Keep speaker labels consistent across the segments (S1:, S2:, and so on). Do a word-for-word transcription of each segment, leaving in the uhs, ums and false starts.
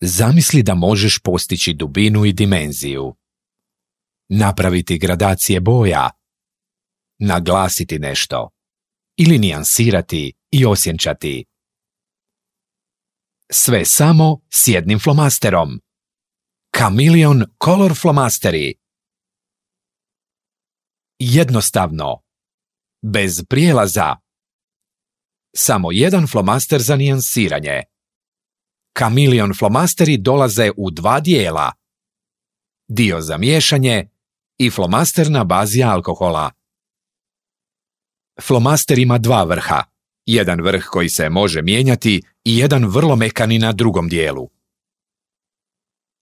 S1: Zamisli da možeš postići dubinu i dimenziju. Napraviti gradacije boja. Naglasiti nešto. Ili nijansirati i osjenčati. Sve samo s jednim flomasterom. Chameleon Color Flomasteri. Jednostavno. Bez prijelaza. Samo jedan flomaster za nijansiranje. Chameleon flomasteri dolaze u dva dijela. Dio za miješanje i flomaster na bazi alkohola. Flomaster ima dva vrha. Jedan vrh koji se može mijenjati i jedan vrlo mekani na drugom dijelu.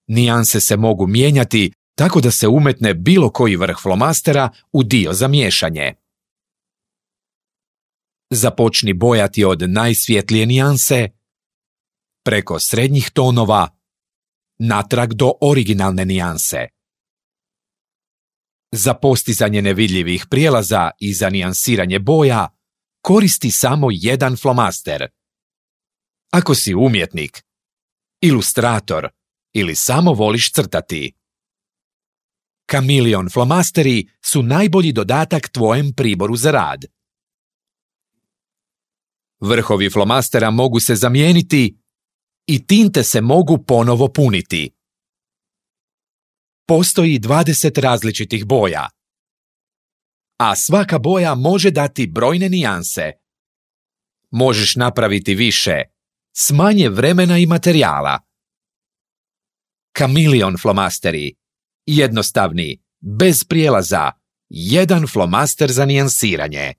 S1: Nijanse se mogu mijenjati tako da se umetne bilo koji vrh flomastera u dio za miješanje. Započni bojati od najsvjetlije nijanse, preko srednjih tonova, natrag do originalne nijanse. Za postizanje nevidljivih prijelaza i za nijansiranje boja koristi samo jedan flomaster. Ako si umjetnik, ilustrator ili samo voliš crtati. Chameleon flomasteri su najbolji dodatak tvojem priboru za rad. Vrhovi flomastera mogu se zamijeniti i tinte se mogu ponovo puniti. Postoji dvadeset različitih boja, a svaka boja može dati brojne nijanse. Možeš napraviti više, s manje vremena i materijala. Chameleon flomasteri. Jednostavni, bez prijelaza, jedan flomaster za nijansiranje.